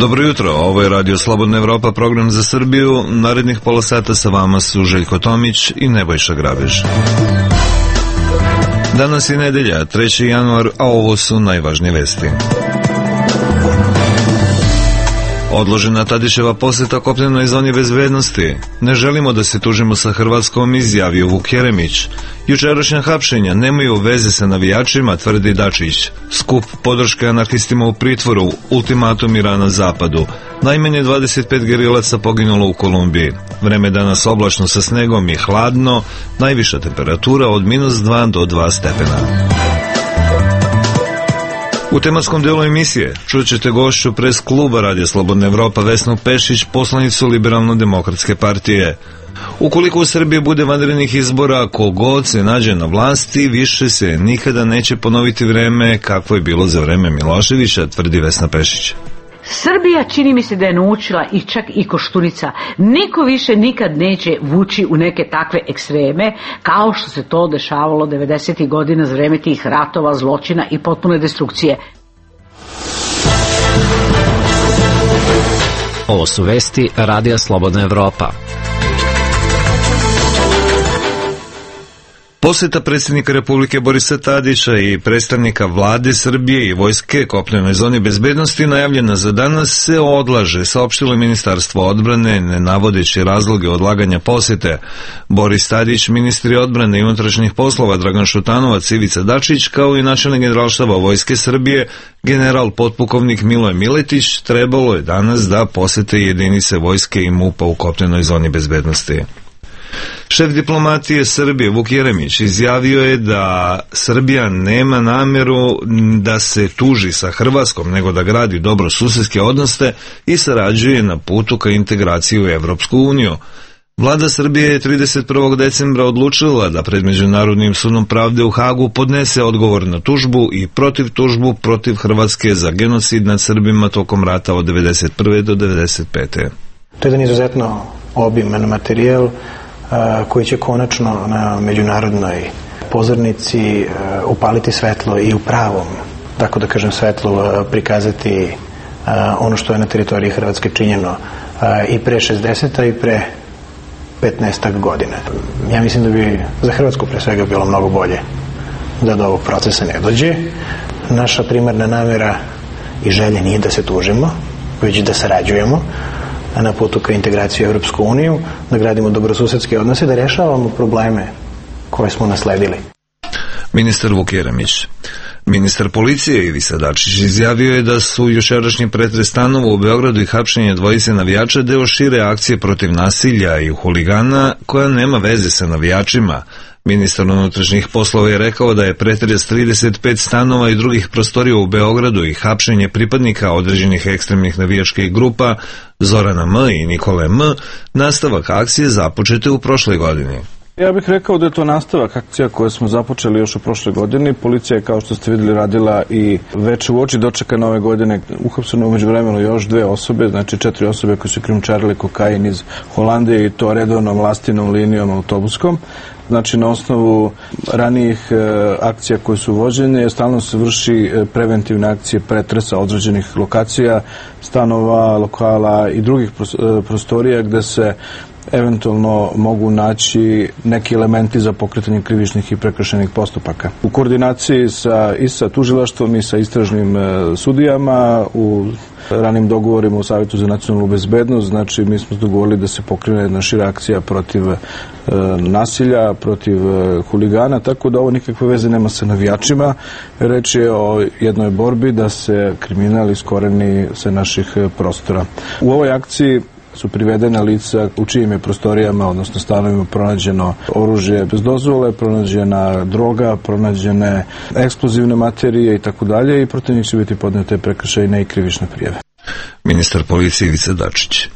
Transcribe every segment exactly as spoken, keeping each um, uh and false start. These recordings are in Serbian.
Dobro jutro, ovo je Radio Slobodna Evropa, program za Srbiju. Narednih pola sata sa vama su Željko Tomić i Nebojša Grabež. Danas je nedelja, treći januar, a ovo su najvažnije vesti. Odložena Tadićeva poseta kopnenoj zoni bezbednosti. Ne želimo da se tužimo sa Hrvatskom, izjavio Vuk Jeremić. Jučerašnja hapšenja nemaju veze sa navijačima, tvrdi Dačić. Skup podrške anarhistima u pritvoru, ultimatum Irana zapadu. Najmanje dvadeset pet gerilaca poginulo u Kolumbiji. Vreme danas oblačno sa snegom i hladno, najviša temperatura od minus dva do dva stepena. U tematskom delu emisije čućete gošću pres kluba Radija Slobodna Evropa Vesnu Pešić, poslanicu Liberalno-demokratske partije. Ukoliko u Srbiji bude vanrednih izbora, kogod se nađe na vlasti, više se nikada neće ponoviti vreme kakvo je bilo za vreme Miloševića, tvrdi Vesna Pešić. Srbija čini mi se da je naučila i čak i Koštunica. Niko više nikad neće vući u neke takve ekstreme kao što se to dešavalo devedesetih godina za vreme tih ratova, zločina i potpune destrukcije. Ovo su vesti Radija Slobodna Evropa. Poseta predsjednika Republike Borisa Tadića i predstavnika vlade Srbije i vojske kopnenoj zoni bezbednosti najavljena za danas se odlaže, saopštilo Ministarstvo odbrane, ne navodeći razloge odlaganja posete. Boris Tadić, ministri odbrane i unutrašnjih poslova Dragan Šutanovac, Ivica Dačić, kao i načelnik Generalštaba vojske Srbije, general potpukovnik Miloje Miletić, trebalo je danas da posete jedinice vojske i MUP-a u kopnenoj zoni bezbednosti. Šef diplomatije Srbije Vuk Jeremić izjavio je da Srbija nema nameru da se tuži sa Hrvatskom, nego da gradi dobrosusedske odnose i sarađuje na putu ka integraciji u Evropsku uniju. Vlada Srbije je trideset prvog decembra odlučila da pred Međunarodnim sudom pravde u Hagu podnese odgovor na tužbu i protiv tužbu protiv Hrvatske za genocid nad Srbima tokom rata od devedeset prve do devedeset pete. To je jedan izuzetno obiman materijal koji će konačno na međunarodnoj pozornici upaliti svetlo i u pravom, tako da kažem, svetlu prikazati ono što je na teritoriji Hrvatske činjeno i pre šezdeset i pre petnaestak godina. Ja mislim da bi za Hrvatsku pre svega bilo mnogo bolje da do ovog procesa ne dođe. Naša primarna namera i želja nije da se tužimo, već da sarađujemo na putu ka integraciji u Evropsku uniju, da gradimo dobrosusedske odnose, da rešavamo probleme koje smo nasledili. Ministar Vuk Jeremić. Ministar policije Ivica Dačić izjavio je da su jučerašnji pretres stanova u Beogradu i hapšenje dvojice navijača deo šire akcije protiv nasilja i huligana koja nema veze sa navijačima. Ministar unutrašnjih poslova je rekao da je pretres trideset pet stanova i drugih prostorija u Beogradu i hapšenje pripadnika određenih ekstremnih navijačkih grupa Zorana M. i Nikole M. nastavak akcije započete u prošloj godini. Ja bih rekao da je to nastavak akcija koje smo započeli još u prošloj godini. Policija je, kao što ste vidjeli, radila i već u oči dočeka nove godine. Uhapseno umeđu vremenu još dve osobe, znači četiri osobe koje su krijumčarile kokain iz Holandije i to redovnom lastinom linijom autobuskom. Znači, na osnovu ranijih e, akcija koje su vođene, stalno se vrši e, preventivne akcije pretresa određenih lokacija, stanova, lokala i drugih prostorija gde se eventualno mogu naći neki elementi za pokretanje krivičnih i prekršajnih postupaka. U koordinaciji sa, i sa tužilaštvom i sa istražnim e, sudijama, u ranim dogovorima u Savjetu za nacionalnu bezbednost, znači mi smo dogovorili da se pokrene jedna šira akcija protiv e, nasilja, protiv e, huligana, tako da ovo nikakve veze nema sa navijačima. Reč je o jednoj borbi da se kriminal iskoreni sa naših prostora. U ovoj akciji su privedena lica u čijim je prostorijama, odnosno stanovima, pronađeno oružje bez dozvole, pronađena droga, pronađene eksplozivne materije i tako dalje i protiv njih će biti podnete prekršajne i krivične prijave. Ministar policije Ivica Dačić.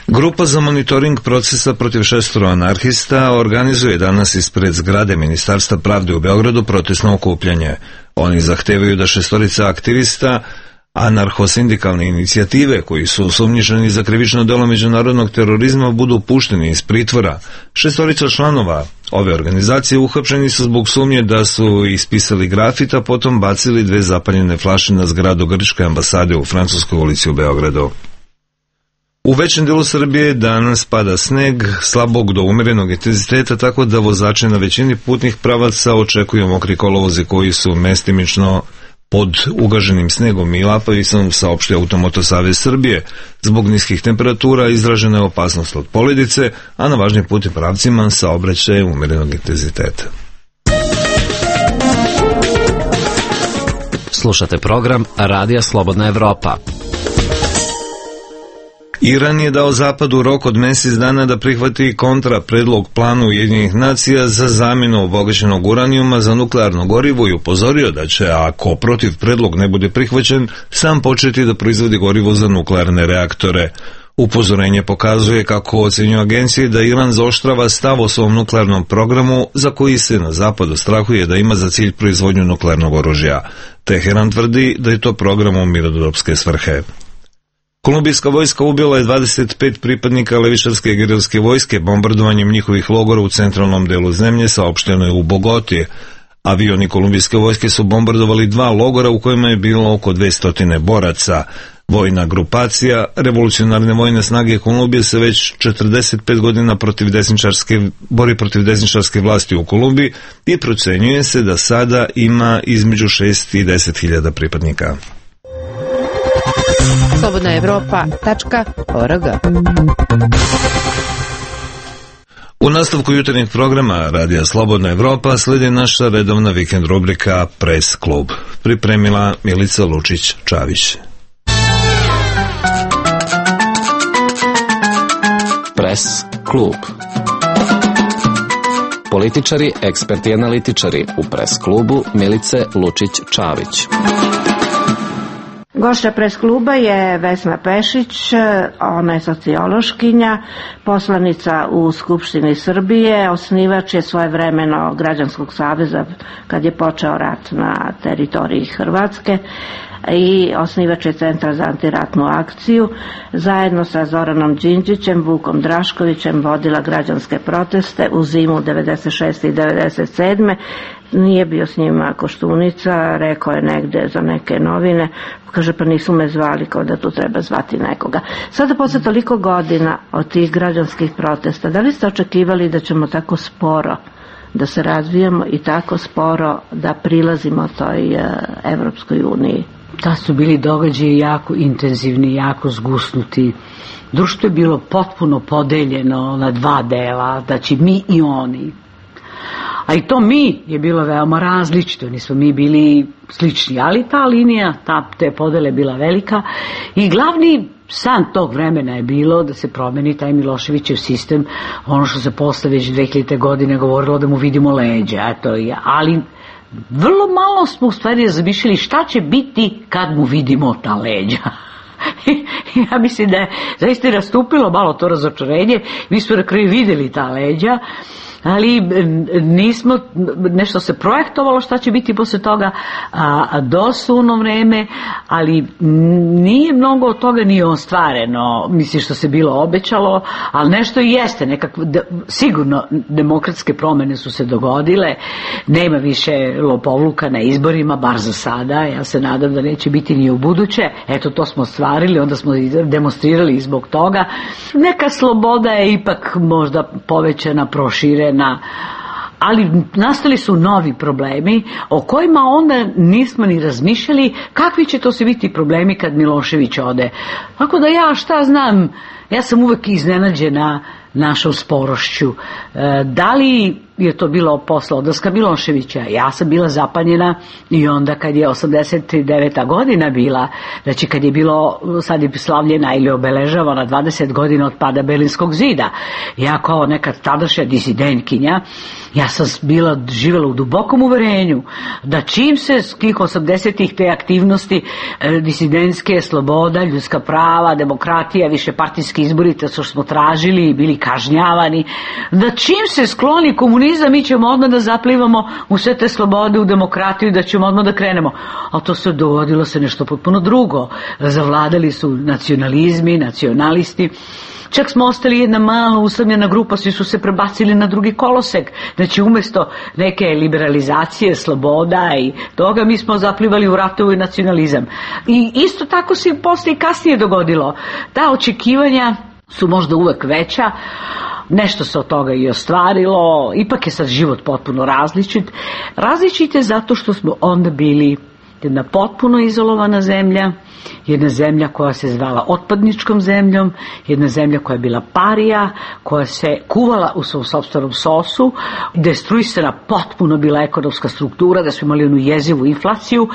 Grupa za monitoring procesa protiv šestoro anarhista organizuje danas ispred zgrade Ministarstva pravde u Beogradu protestno okupljanje. Oni zahtevaju da šestorica aktivista anarcho-sindikalne inicijative koji su osumnjičeni za krivično delo međunarodnog terorizma budu pušteni iz pritvora. Šestorica članova ove organizacije uhapšeni su zbog sumnje da su ispisali grafit, a potom bacili dve zapaljene flaše na zgradu grčke ambasade u Francuskoj ulici u Beogradu. U većem delu Srbije danas pada sneg slabog do umerenog intenziteta, tako da vozači na većini putnih pravaca očekuju mokri kolovozi koji su mestimično pod ugaženim snegom i lapavicom, saopštio Automoto savez Srbije. Zbog niskih temperatura izražena je opasnost od poledice, a na važnim putnim pravcima saobraćaj umerenog intenziteta. Slušate program Radija Slobodna Evropa. Iran je dao Zapadu rok od mesec dana da prihvati kontra predlog plana Ujedinjenih nacija za zamjenu obogaćenog uranijuma za nuklearno gorivo i upozorio da će, ako protiv predlog ne bude prihvaćen, sam početi da proizvodi gorivo za nuklearne reaktore. Upozorenje pokazuje, kako ocenjuju agencije, da Iran zaoštrava stav o svom nuklearnom programu, za koji se na zapadu strahuje da ima za cilj proizvodnju nuklearnog oružja. Teheran tvrdi da je to program u mirnodopske svrhe. Kolumbijska vojska ubila je dvadeset pet pripadnika levičarske gerilske vojske bombardovanjem njihovih logora u centralnom delu zemlje, saopšteno je u Bogoti. Avioni kolumbijske vojske su bombardovali dva logora u kojima je bilo oko dvesta boraca. Vojna grupacija Revolucionarne vojne snage Kolumbije se već četrdeset pet godina protiv desničarske, bori protiv desničarske vlasti u Kolumbiji i procenjuje se da sada ima između šest i deset hiljada pripadnika. slobodna evropa tačka org. U nastavku jutarnjeg programa Radija Slobodna Evropa sledi naša redovna vikend rubrika Press klub. Pripremila Milica Lučić-Čavić. Press klub. Političari, eksperti i analitičari u Press klubu Milice Lučić-Čavić. Gošća Pres kluba je Vesna Pešić, ona je sociološkinja, poslanica u Skupštini Srbije, osnivač je svojevremeno Građanskog saveza kad je počeo rat na teritoriji Hrvatske i osnivač je Centra za antiratnu akciju. Zajedno sa Zoranom Đinđićem, Vukom Draškovićem vodila građanske proteste u zimu devedeset šeste i devedeset sedme Nije bio s njima Koštunica, rekao je negde za neke novine, kaže pa nisu me zvali, kao da tu treba zvati nekoga. Sada posle toliko godina od tih građanskih protesta, da li ste očekivali da ćemo tako sporo da se razvijamo i tako sporo da prilazimo toj Evropskoj uniji? Da su bili događaji jako intenzivni, jako zgusnuti. Društvo je bilo potpuno podeljeno na dva dela, znači mi i oni. A i to mi je bilo veoma različito, nismo mi bili slični, ali ta linija, ta, te podele je bila velika i glavni san tog vremena je bilo da se promeni taj Miloševićev sistem, ono što se posle već dve hiljadite godine govorilo da mu vidimo leđa, eto, ali vrlo malo smo u stvari zamišljali šta će biti kad mu vidimo ta leđa. Ja mislim da je zaista nastupilo malo to razočarenje, mi smo na kraju videli ta leđa, ali nismo, nešto se projektovalo šta će biti posle toga, a, do suno vreme, ali nije mnogo od toga ni ostvareno, mislim što se bilo obećalo, ali nešto i jeste, nekako, sigurno demokratske promene su se dogodile, nema više lopovluka na izborima, bar za sada, ja se nadam da neće biti ni u buduće, eto to smo ostvarili, onda smo demonstrirali zbog toga, neka sloboda je ipak možda povećana, proširena, ali nastali su novi problemi o kojima onda nismo ni razmišljali kakvi će to se biti problemi kad Milošević ode. Tako da ja šta znam, ja sam uvek iznenađena našom sporošću. E, da li je to bilo posle odlaska Miloševića? Ja sam bila zapanjena i onda kad je osamdeset deveta godina bila, znači kad je bilo, sad je slavljena ili obeležavana dvadeset godina od pada Berlinskog zida. Ja kao neka tadašnja disidentkinja, ja sam bila živjela u dubokom uverenju da čim se skih osamdesetih te aktivnosti e, disidentske, sloboda, ljudska prava, demokratija, više partijski izbori, to što smo tražili i bili kažnjavani, da čim se skloni komunizam mi ćemo odmah da zaplivamo u sve te slobode, u demokratiju, da ćemo odmah da krenemo. A to se dogodilo se nešto potpuno drugo. Zavladali su nacionalizmi, nacionalisti. Čak smo ostali jedna mala usamljena grupa, svi su se prebacili na drugi kolosek. Znači umjesto neke liberalizacije, sloboda i toga, mi smo zaplivali u ratovu i nacionalizam. I isto tako se posle i kasnije dogodilo. Ta očekivanja su možda uvek veća, nešto se od toga i ostvarilo, ipak je sad život potpuno različit. Različit je zato što smo onda bili jedna potpuno izolovana zemlja, jedna zemlja koja se zvala otpadničkom zemljom, jedna zemlja koja je bila parija, koja se kuvala u svom sopstvenom sosu, destruisana potpuno bila ekonomska struktura, da su imali onu jezivu inflaciju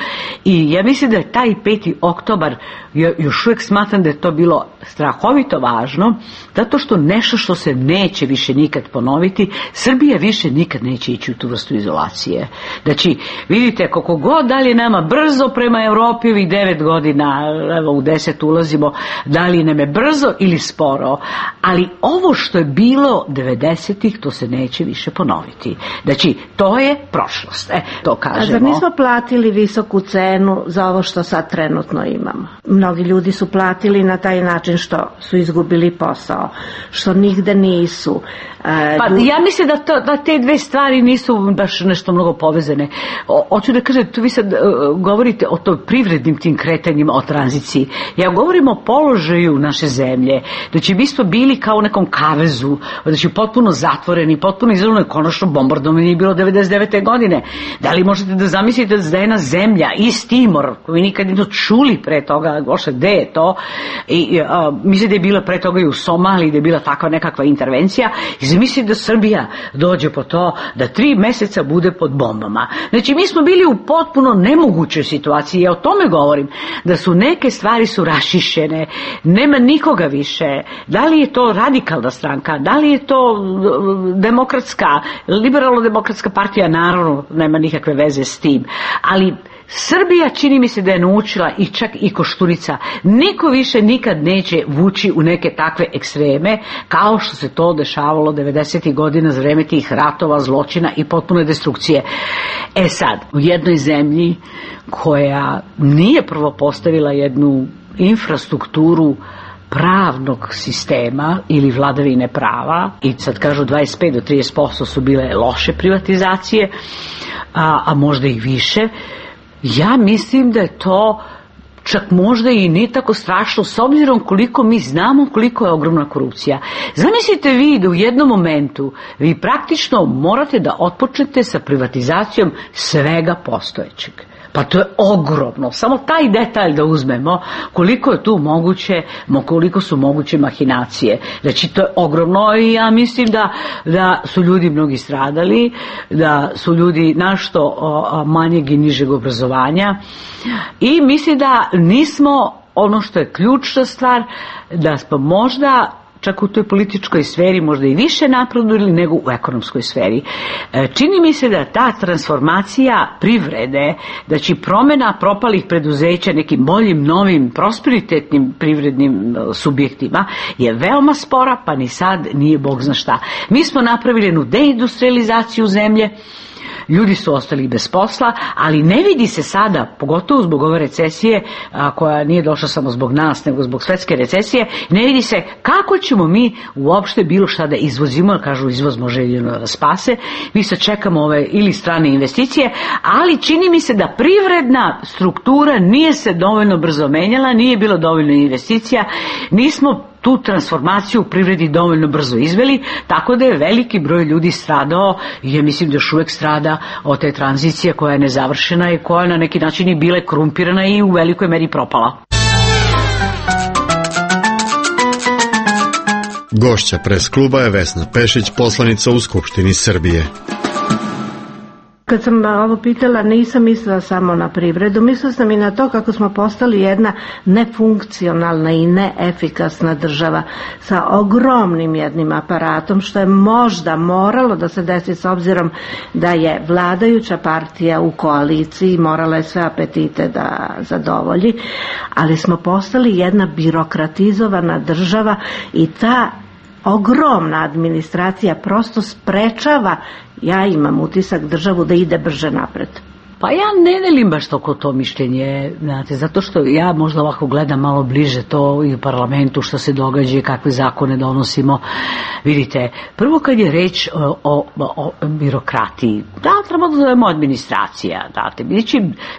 i ja mislim da je taj peti oktobar, još uvijek smatram da je to bilo strahovito važno, zato što nešto što se neće više nikad ponoviti, Srbija više nikad neće ići u tu vrstu izolacije. Znači, vidite, koliko god dalje nama brzo prema Evropi ovih devet godina, evo u deset ulazimo, da li nam je brzo ili sporo, ali ovo što je bilo devedesetih, to se neće više ponoviti. Znači, to je prošlost, e, to kažemo. A zar nismo platili visoku cenu za ovo što sad trenutno imamo? Mnogi ljudi su platili na taj način što su izgubili posao, što nigde nisu. E, pa ljudi... ja mislim da, to, da te dve stvari nisu baš nešto mnogo povezane. O, hoću da kažem, tu vi sad uh, govorite o to privrednim tim kretanjima, o tranziciji. Ja govorim o položaju naše zemlje. Znači, mi smo bili kao u nekom kavezu, znači potpuno zatvoreni, potpuno izolovani, konačno bombardovanje je bilo devedeset devete godine. Da li možete da zamislite da je jedna zemlja, East Timor, koju nikad nismo čuli pre toga, goše, gde je to? I, uh, mislim da je bila pre toga i u Somaliji, da je bila takva nekakva intervencija. I zamislite da Srbija dođe po to da tri meseca bude pod bombama. Znači, mi smo bili u potpuno nemogućoj situaciji. Ja o tome govorim, da su neke stvari su rašišene, nema nikoga više. Da li je to radikalna stranka, da li je to demokratska, liberalno-demokratska partija, naravno nema nikakve veze s tim, ali Srbija čini mi se da je naučila i čak i Koštunica, niko više nikad neće vući u neke takve ekstreme kao što se to dešavalo devedesetih godina za vreme tih ratova, zločina i potpune destrukcije. E sad, u jednoj zemlji koja nije prvo postavila jednu infrastrukturu pravnog sistema ili vladavine prava, i sad kažu dvadeset pet do trideset posto su bile loše privatizacije, a, a možda i više. Ja mislim da je to čak možda i nije tako strašno s obzirom koliko mi znamo koliko je ogromna korupcija. Zamislite vi da u jednom momentu vi praktično morate da otpočnete sa privatizacijom svega postojećeg. Pa to je ogromno. Samo taj detalj da uzmemo, koliko je tu moguće, koliko su moguće mahinacije. Znači, to je ogromno i ja mislim da, da su ljudi mnogi stradali, da su ljudi našto manjeg i nižeg obrazovanja i mislim da nismo, ono što je ključna stvar, da smo možda čak u toj političkoj sferi možda i više napredovali nego u ekonomskoj sferi. Čini mi se da ta transformacija privrede, da će promjena propalih preduzeća nekim boljim, novim, prosperitetnim privrednim subjektima je veoma spora, pa ni sad nije bog zna šta. Mi smo napravili jednu deindustrializaciju zemlje, ljudi su ostali bez posla, ali ne vidi se sada, pogotovo zbog ove recesije, a, koja nije došla samo zbog nas, nego zbog svetske recesije, ne vidi se kako ćemo mi uopšte bilo šta da izvozimo, jer kažu izvoz može jedino da spase, mi se čekamo ove ili strane investicije, ali čini mi se da privredna struktura nije se dovoljno brzo menjala, nije bilo dovoljno investicija, nismo tu transformaciju u privredi dovoljno brzo izveli, tako da je veliki broj ljudi stradao i ja mislim da još uvek strada od te tranzicije koja je nezavršena i koja na neki način je bila korumpirana i u velikoj meri propala. Gošća Pres kluba je Vesna Pešić, poslanica u Skupštini Srbije. Kad sam ovo pitala, nisam mislila samo na privredu, mislila sam i na to kako smo postali jedna nefunkcionalna i neefikasna država sa ogromnim jednim aparatom, što je možda moralo da se desi s obzirom da je vladajuća partija u koaliciji, morala je sve apetite da zadovolji, ali smo postali jedna birokratizovana država i ta ogromna administracija prosto sprečava, ja imam utisak, državu da ide brže napred. Pa ja ne delim baš toliko to mišljenje, znate, zato što ja možda ovako gledam malo bliže to i u parlamentu što se događa i kakve zakone donosimo. Vidite, prvo kad je reč o, o, o birokratiji, da, treba da zovemo administracija, date,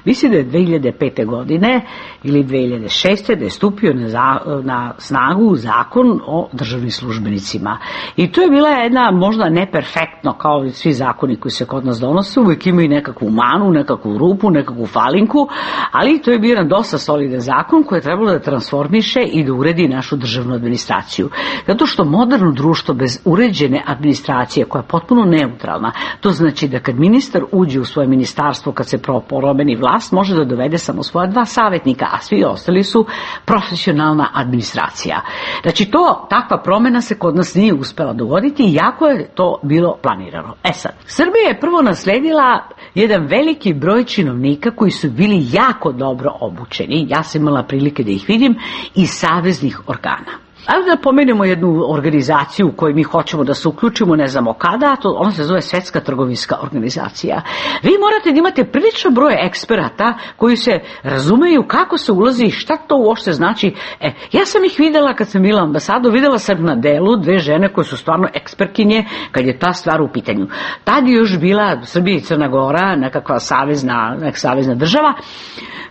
mislim da je dve hiljade pete godine ili dve hiljade šeste da je stupio na, za, na snagu zakon o državnim službenicima. I to je bila jedna možda neperfektno kao i svi zakoni koji se kod nas donose, uvijek imaju nekakvu manu, nekakvu rupu, nekakvu falinku, ali to je bio jedan dosta solidan zakon koji je trebalo da transformiše i da uredi našu državnu administraciju. Zato što moderno društvo bez uređene administracije koja je potpuno neutralna, to znači da kad ministar uđe u svoje ministarstvo, kad se promeni vlast, može da dovede samo svoja dva savjetnika, a svi ostali su profesionalna administracija. Znači to, takva promjena se kod nas nije uspela dogoditi i jako je to bilo planirano. E sad, Srbija je prvo nasledila jedan veliki broj činovnika koji su bili jako dobro obučeni, ja sam imala prilike da ih vidim, iz saveznih organa. Ajde da pomenemo jednu organizaciju u kojoj mi hoćemo da se uključimo, ne znamo kada, to, ona se zove Svetska trgovinska organizacija. Vi morate da imate prilično broj eksperata koji se razumeju kako se ulazi i šta to uopšte znači. E, ja sam ih videla kad sam bila ambasado, videla sam na delu dve žene koje su stvarno ekspertkinje kad je ta stvar u pitanju. Tad je još bila Srbija i Crna Gora, nekakva savezna, neka savezna država.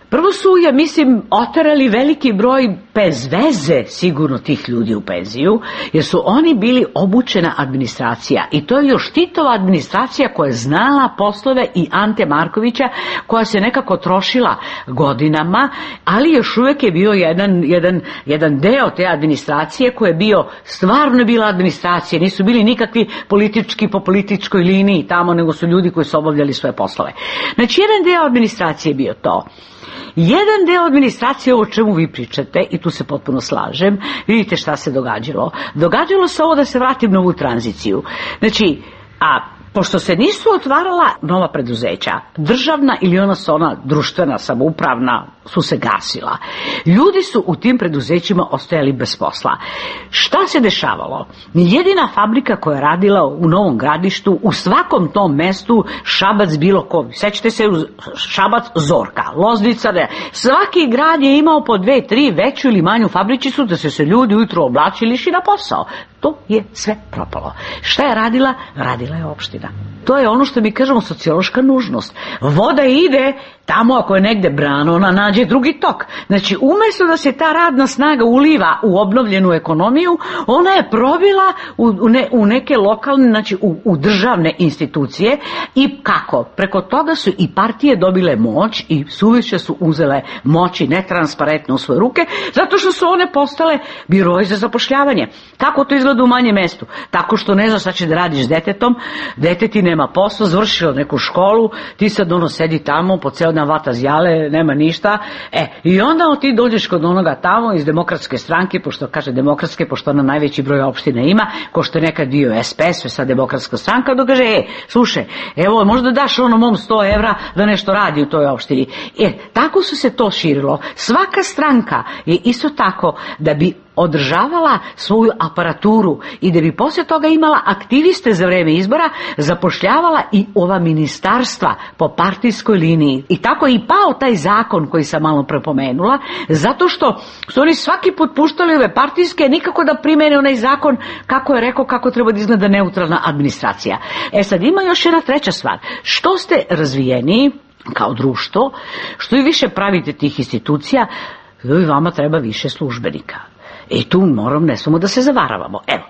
Prvo su, ja mislim, oterali veliki broj bez veze sigurno tih ljudi u penziju, jer su oni bili obučena administracija i to je još Titova administracija koja je znala poslove i Ante Markovića, koja se nekako trošila godinama, ali još uvijek je bio jedan, jedan, jedan deo te administracije koji je bio, stvarno bila administracija, nisu bili nikakvi politički po političkoj liniji tamo, nego su ljudi koji su obavljali svoje poslove. Znači, jedan deo administracije je bio to. Jedan deo administracije, ovo o čemu vi pričate, i tu se potpuno slažem, vidite šta se događalo. Događalo se ovo, da se vratim na ovu tranziciju. Znači, a pošto se nisu otvarala nova preduzeća, državna ili ona su ona društvena, samoupravna, su se gasila. Ljudi su u tim preduzećima ostajali bez posla. Šta se dešavalo? Jedina fabrika koja je radila u Novom Gradištu, u svakom tom mestu, Šabac bilo ko. Sećate se, Šabac, Zorka, Loznica, ne. Svaki grad je imao po dve, tri veću ili manju fabričicu da se se ljudi ujutro oblačili i išli na posao. To je sve propalo. Šta je radila? Radila je opština. To je ono što mi kažemo sociološka nužnost. Voda ide tamo ako je negde brana, ona nađe drugi tok. Znači, umjesto da se ta radna snaga uliva u obnovljenu ekonomiju, ona je probila u, u, ne, u neke lokalne, znači u, u državne institucije. I kako? Preko toga su i partije dobile moć i suviše su uzele moći netransparentno u svoje ruke, zato što su one postale biroji za zapošljavanje. Kako to izgleda u manjem mestu? Tako što ne znaš šta će da radiš s detetom, deteti nema posla, završilo neku školu, ti sad ono sedi tamo, po ceo dan vata zjale, nema ništa, e, i onda ti dođeš kod onoga tamo iz Demokratske stranke, pošto kaže Demokratske, pošto ona najveći broj opština ima, ko što je nekad bio S P S, sad Demokratska stranka, da kaže, e, slušaj, evo, možda daš ono mom sto evra da nešto radi u toj opštini. E, tako su se to širilo. Svaka stranka je isto tako, da bi održavala svoju aparaturu i da bi poslije toga imala aktiviste za vreme izbora, zapošljavala i ova ministarstva po partijskoj liniji. I tako je i pao taj zakon koji sam malo prepomenula, zato što su oni svaki put puštali ove partijske, nikako da primene onaj zakon kako je rekao kako treba da izgleda neutralna administracija. E sad ima još jedna treća stvar. Što ste razvijeniji kao društvo, što i više pravite tih institucija, vama treba više službenika. I tu moram, ne smemo da se zavaravamo. Evo,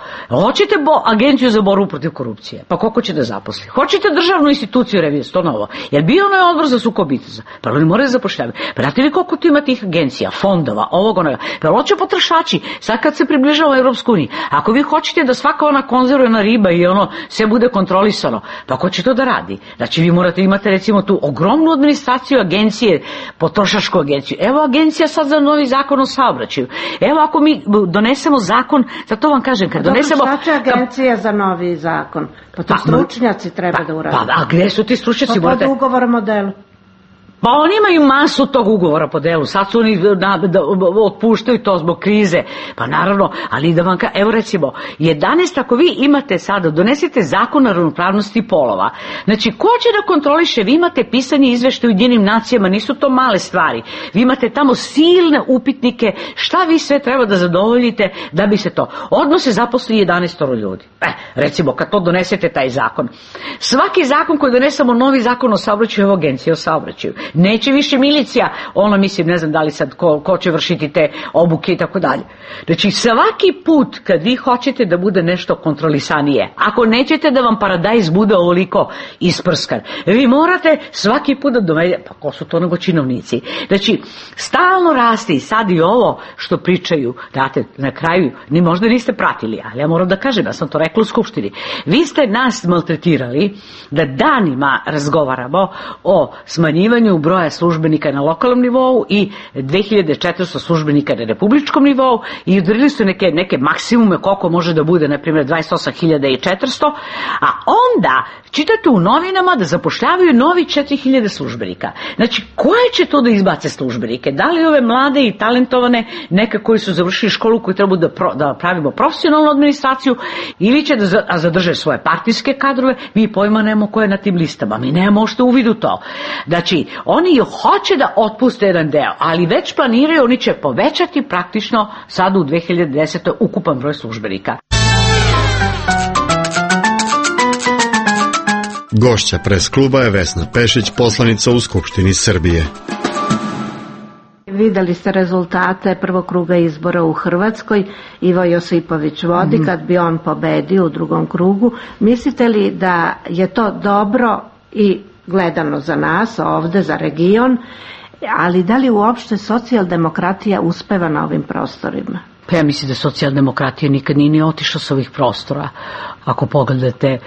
hoćete bo, agenciju za borbu protiv korupcije, pa koliko će da zaposli? Hoćete državnu instituciju revizije, to novo. Jer bio onaj odbor za sukob interesa, pa oni moraju zapošljavati. Pa znate li koliko tu ima tih agencija, fondova, ovog, onoga? Pa hoće potrošači, sad kad se približava Evropsku uniju, ako vi hoćete da svaka ona konzervna riba i ono sve bude kontrolisano, pa ko će to da radi? Znači vi morate imate recimo tu ogromnu administraciju agencije, potrošačku agenciju. Evo agencija sad za novi zakon o saobraćaju. Evo ako mi donesemo zakon, zato vam kažem, kad donesemo... Dobro, šta će agencija za novi zakon? Pa to stručnjaci treba da urade. Pa, a gdje su ti stručnjaci? Pa pod ugovorom o delu. Pa oni imaju masu tog ugovora po delu, sad su oni da, da, otpuštaju to zbog krize, pa naravno, ali da vam ka, evo recimo, jedanaest ako vi imate sada, donesete zakon o ravnopravnosti polova, znači ko će da kontroliše, vi imate pisanje izveštaja u Ujedinjenim nacijama, nisu to male stvari, vi imate tamo silne upitnike, šta vi sve treba da zadovoljite da bi se to, odmah se zaposli jedanaest ljudi, e, recimo kad to donesete taj zakon, svaki zakon koji donesemo, novi zakon o saobraćaju, evo agencija o saobraćaju, neće više milicija, ono mislim, ne znam da li sad ko, ko će vršiti te obuke i tako dalje. Znači svaki put kad vi hoćete da bude nešto kontrolisanije, ako nećete da vam paradajz bude ovoliko isprskan, vi morate svaki put da dovedete, pa ko su to nego činovnici. Znači stalno raste i sad i ovo što pričaju, date, na kraju, ni možda niste pratili, ali ja moram da kažem, ja sam to rekla u Skupštini, vi ste nas maltretirali da danima razgovaramo o smanjivanju broja službenika na lokalnom nivou i dve hiljade četiristo službenika na republičkom nivou i udarili su neke, neke maksimume koliko može da bude, na primjer dvadeset osam hiljada četiristo, a onda čitate u novinama da zapošljavaju novi četiri hiljade službenika. Znači, koje će to da izbace službenike? Da li ove mlade i talentovane, neke koji su završili školu, koji treba da, pro, da pravimo profesionalnu administraciju, ili će da zadrže svoje partijske kadrove? Mi pojma nemamo ko je na tim listama, mi nemamo što uvidu to. Znači, oni hoće da otpuste jedan deo, ali već planiraju, oni će povećati praktično sad u dve hiljade desetoj ukupan broj službenika. Gošća pres kluba je Vesna Pešić, poslanica u Skupštini Srbije. Videli ste rezultate prvog kruga izbora u Hrvatskoj, Ivo Josipović vodi, mm. kad bi on pobedio u drugom krugu. Mislite li da je to dobro i gledano za nas ovde, za region, ali da li uopšte socijaldemokratija uspeva na ovim prostorima? Pa ja mislim da socijaldemokratija nikad nije ni otišla sa ovih prostora. Ako pogledate,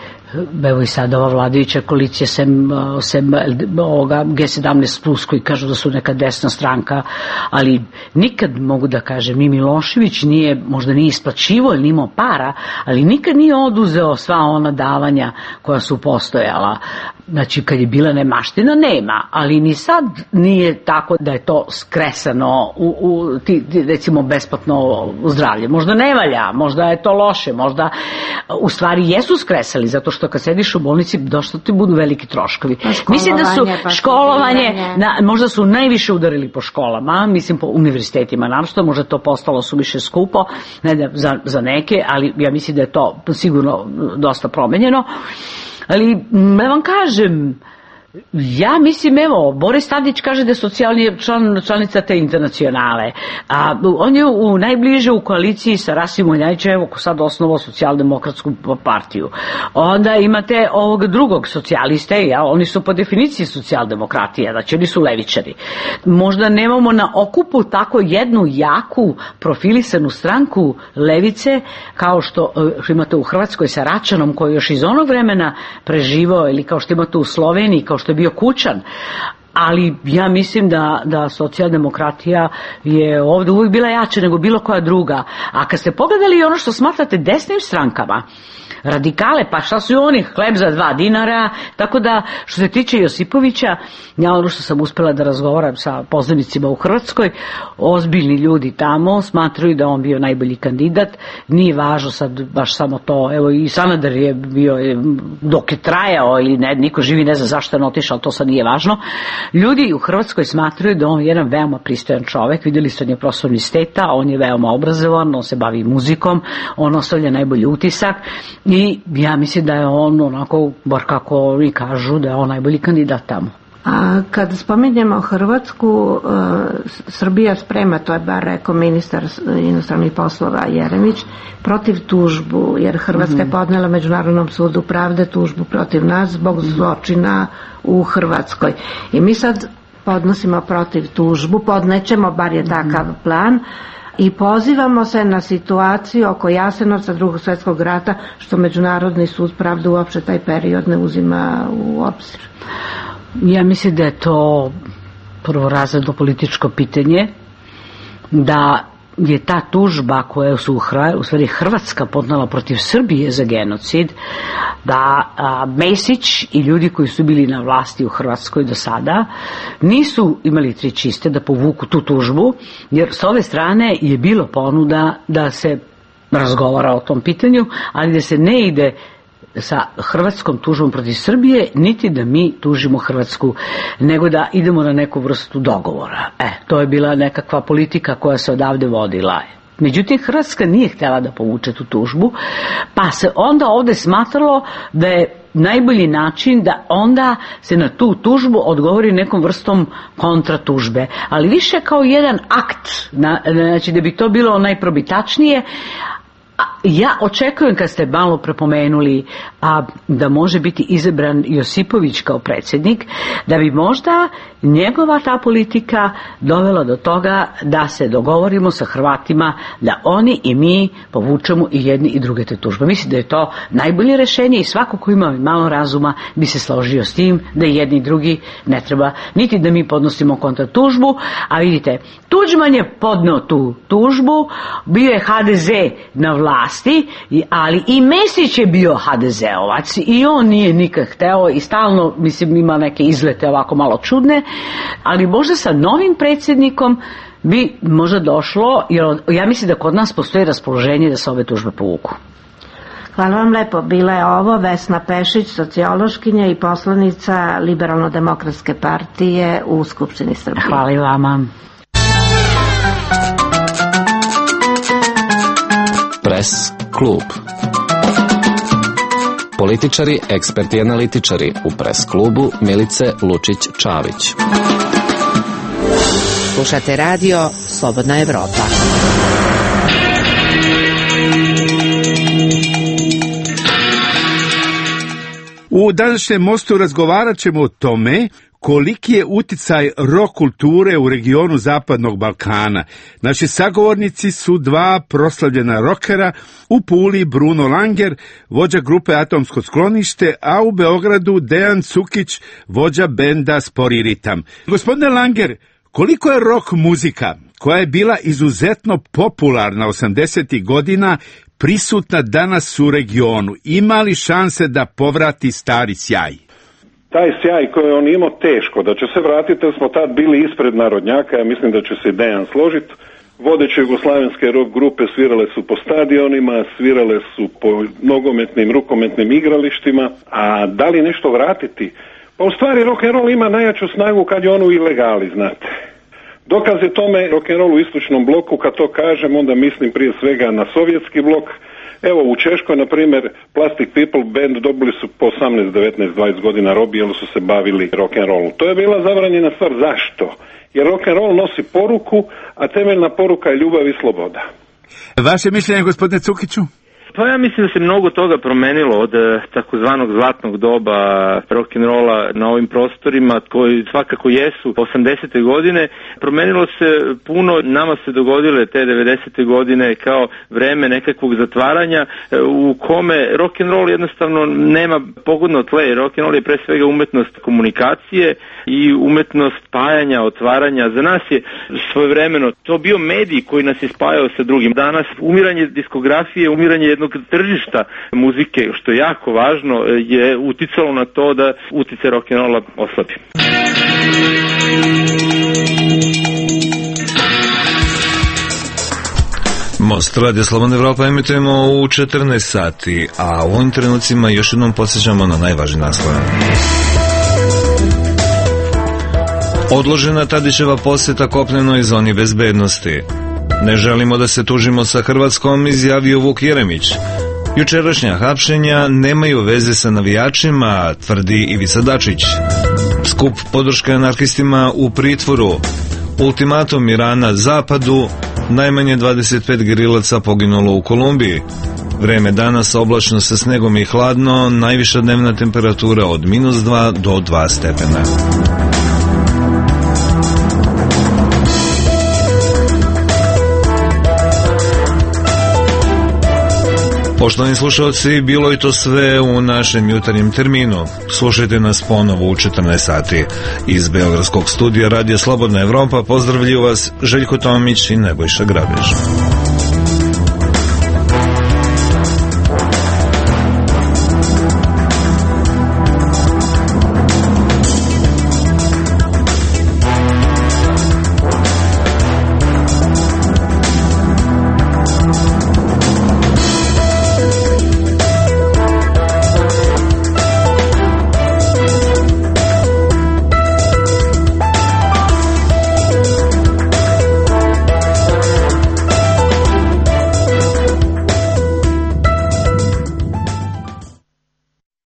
evo i sada ova vladajuća koalicija sem, sem ovoga G sedamnaest plus koji kažu da su neka desna stranka, ali nikad mogu da kažem, ni Milošević nije, možda nije isplaćivao ili nije imao para, ali nikad nije oduzeo sva ona davanja koja su postojala. Znači kad je bila nemaština nema, ali ni sad nije tako da je to skresano u, u ti, recimo besplatno zdravlje. Možda ne valja, možda je to loše, možda u stvari jesu skresali, zato što kad sediš u bolnici došto ti budu veliki troškovi. Mislim da su pa školovanje, na, možda su najviše udarili po školama, mislim po univerzitetima, naravno, možda to postalo su više skupo, ne da, za, za neke, ali ja mislim da je to sigurno dosta promenjeno. Ali, ne vam kažem, ja mislim, evo, Boris Tadić kaže da je socijalni član, članica te internacionale, a on je u, najbliže u koaliciji sa Rasimom Ljajićem, evo ko sad osnovao socijaldemokratsku partiju. Onda imate ovog drugog socijaliste, ja, oni su po definiciji socijaldemokratije, znači oni su levičari. Možda nemamo na okupu tako jednu jaku profilisanu stranku levice, kao što, što imate u Hrvatskoj sa Račanom, koji još iz onog vremena preživao, ili kao što imate u Sloveniji, kao što je bio Kučan, ali ja mislim da, da socijaldemokratija je ovdje uvijek bila jača nego bilo koja druga. A kad ste pogledali ono što smatrate desnim strankama, radikale, pa šta su oni, hleb za dva dinara, tako da što se tiče Josipovića, ja ono što sam uspela da razgovaram sa poznanicima u Hrvatskoj, ozbiljni ljudi tamo smatraju da on bio najbolji kandidat, nije važno sad baš samo to, evo i Sanader je bio, dok je trajao ili ne, niko živi ne zna zašto je otišao, to sad nije važno. Ljudi u Hrvatskoj smatraju da on je jedan veoma pristojan čovek, vidjeli ste, on je profesor univerziteta, on je veoma obrazovan, on se bavi muzikom, on ostavlja najbolji utisak i ja mislim da je on onako, bar kako oni kažu, da je on najbolji kandidat tamo. A kad spominjemo Hrvatsku, Srbija sprema, to je bar rekao ministar inostranih poslova Jeremić, protiv tužbu, jer Hrvatska je podnela Međunarodnom sudu pravde tužbu protiv nas zbog zločina u Hrvatskoj. I mi sad podnosimo protiv tužbu, podnećemo, bar je takav plan, i pozivamo se na situaciju oko Jasenovca, Drugog svjetskog rata, što Međunarodni sud pravde uopšte taj period ne uzima u obzir. Ja mislim da je to prvorazredno političko pitanje, da je ta tužba koja su u stvari Hrvatska podnala protiv Srbije za genocid, da a, Mesić i ljudi koji su bili na vlasti u Hrvatskoj do sada nisu imali tri čiste da povuku tu tužbu, jer s ove strane je bilo ponuda da se razgovara o tom pitanju, ali da se ne ide sa hrvatskom tužbom protiv Srbije, niti da mi tužimo Hrvatsku, nego da idemo na neku vrstu dogovora. E, to je bila nekakva politika koja se odavde vodila. Međutim, Hrvatska nije htjela da povuče tu tužbu, pa se onda ovde smatralo da je najbolji način da onda se na tu tužbu odgovori nekom vrstom kontratužbe, ali više kao jedan akt, znači da bi to bilo najprobitačnije. Ja očekujem, kad ste malo prepomenuli a, da može biti izabran Josipović kao predsjednik, da bi možda njegova ta politika dovela do toga da se dogovorimo sa Hrvatima da oni i mi povučemo i jedni i druge te tužbe. Mislim da je to najbolje rješenje i svako ko ima malo razuma bi se složio s tim da i jedni i drugi ne treba niti da mi podnosimo kontratužbu, a vidite, Tuđman je podneo tu tužbu, bio je ha de ze na vlasti, ali i Mesić je bio ha de zeovac i on nije nikad hteo i stalno, mislim, ima neke izlete ovako malo čudne, ali možda sa novim predsjednikom bi možda došlo, jer ja mislim da kod nas postoji raspoloženje da se ove tužbe povuku. Hvala vam lepo. Bila je ovo Vesna Pešić, sociološkinja i poslanica Liberalno-demokratske partije u Skupštini Srbije. Hvala i vama. Press klub. Političari, eksperti i analitičari u Press klubu Milice Lučić-Čavić. Slušate radio Slobodna Evropa. U današnjem mostu razgovarat ćemo o tome koliki je uticaj rock kulture u regionu Zapadnog Balkana. Naši sagovornici su dva proslavljena rokera, u Puli Bruno Langer, vođa grupe Atomsko sklonište, a u Beogradu Dejan Cukić, vođa benda Spori ritam. Gospodine Langer, koliko je rock muzika, koja je bila izuzetno popularna osamdesetih godina, prisutna danas u regionu? Ima li šanse da povrati stari sjaj? Taj sjaj koji on imao, teško da će se vratiti, jer smo tad bili ispred narodnjaka, ja mislim da će se Dejan složiti. Vodeće jugoslavenske rock grupe svirale su po stadionima, svirale su po nogometnim, rukometnim igralištima, a da li nešto vratiti? Pa u stvari rock and roll ima najjaču snagu kad je on u ilegali, znate. Dokaz je tome rock and roll u istočnom bloku, kad to kažem, onda mislim prije svega na sovjetski blok. Evo, u Češkoj, na primjer, Plastic People band dobili su po osamnaest, devetnaest, dvadeset godina robije, jer su se bavili rock and rollu. To je bila zabranjena stvar. Zašto? Jer rock and roll nosi poruku, a temeljna poruka je ljubav i sloboda. Vaše mišljenje, gospodine Cukiću? Pa ja mislim da se mnogo toga promenilo od takozvanog zlatnog doba rock'n'rolla na ovim prostorima, koji svakako jesu osamdesete godine. Promenilo se puno, nama se dogodile te devedesete godine kao vreme nekakvog zatvaranja u kome rock'n'roll jednostavno nema pogodno tle. Rock'n'roll je pre svega umetnost komunikacije i umetnost spajanja, otvaranja. Za nas je svojevremeno to bio medij koji nas je spajao sa drugim. Danas umiranje diskografije, umiranje jednog tržišta muzike, što je jako važno, je uticalo na to da uticaj rock'n'rolla oslabi. Most Radio Slobodna Evropa emitujemo u četrnaest sati, a u ovim trenucima još jednom podsjećamo na najvažnije naslove. Odložena Tadićeva posjeta kopnenoj zoni bezbednosti. Ne želimo da se tužimo sa Hrvatskom, izjavio Vuk Jeremić. Jučerašnja hapšenja nemaju veze sa navijačima, tvrdi Ivica Dačić. Skup podrške anarhistima u pritvoru. Ultimatum Irana Zapadu, najmanje dvadeset pet gerilaca poginulo u Kolumbiji. Vreme danas oblačno sa snegom i hladno, najviša dnevna temperatura od minus dva do dva stepena. Poštovani slušalci, bilo je to sve u našem jutarnjem terminu. Slušajte nas ponovo u četrnaest sati. Iz Beogradskog studija Radija Slobodna Evropa pozdravljaju vas Željko Tomić i Nebojša Grabež.